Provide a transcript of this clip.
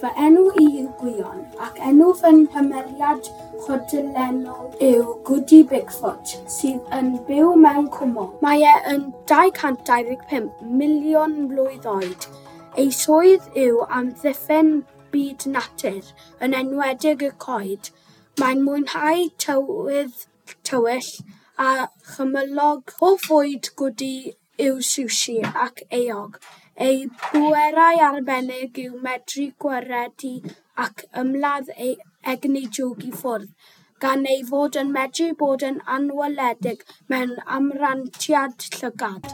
Fy enw i yw Gwion, ac enw fy nghymeriad chwedlonol yw Goody Bigfoot, sydd yn byw mewn cwmwl. Mae e yn 225 miliwn mlwydd oed. Ei swydd yw amddiffyn byd natur, yn enwedig y coed. Mae'n mwynhau tywydd tywyll a chymylog. Hoff fwyd Goody yw sushi ac eog. Ei bwerau arbennig yw medru gwaredu ac ymladd ei egni drwg i ffwrdd, gan ei fod yn medru bod yn anweledig mewn amrantiad llygad.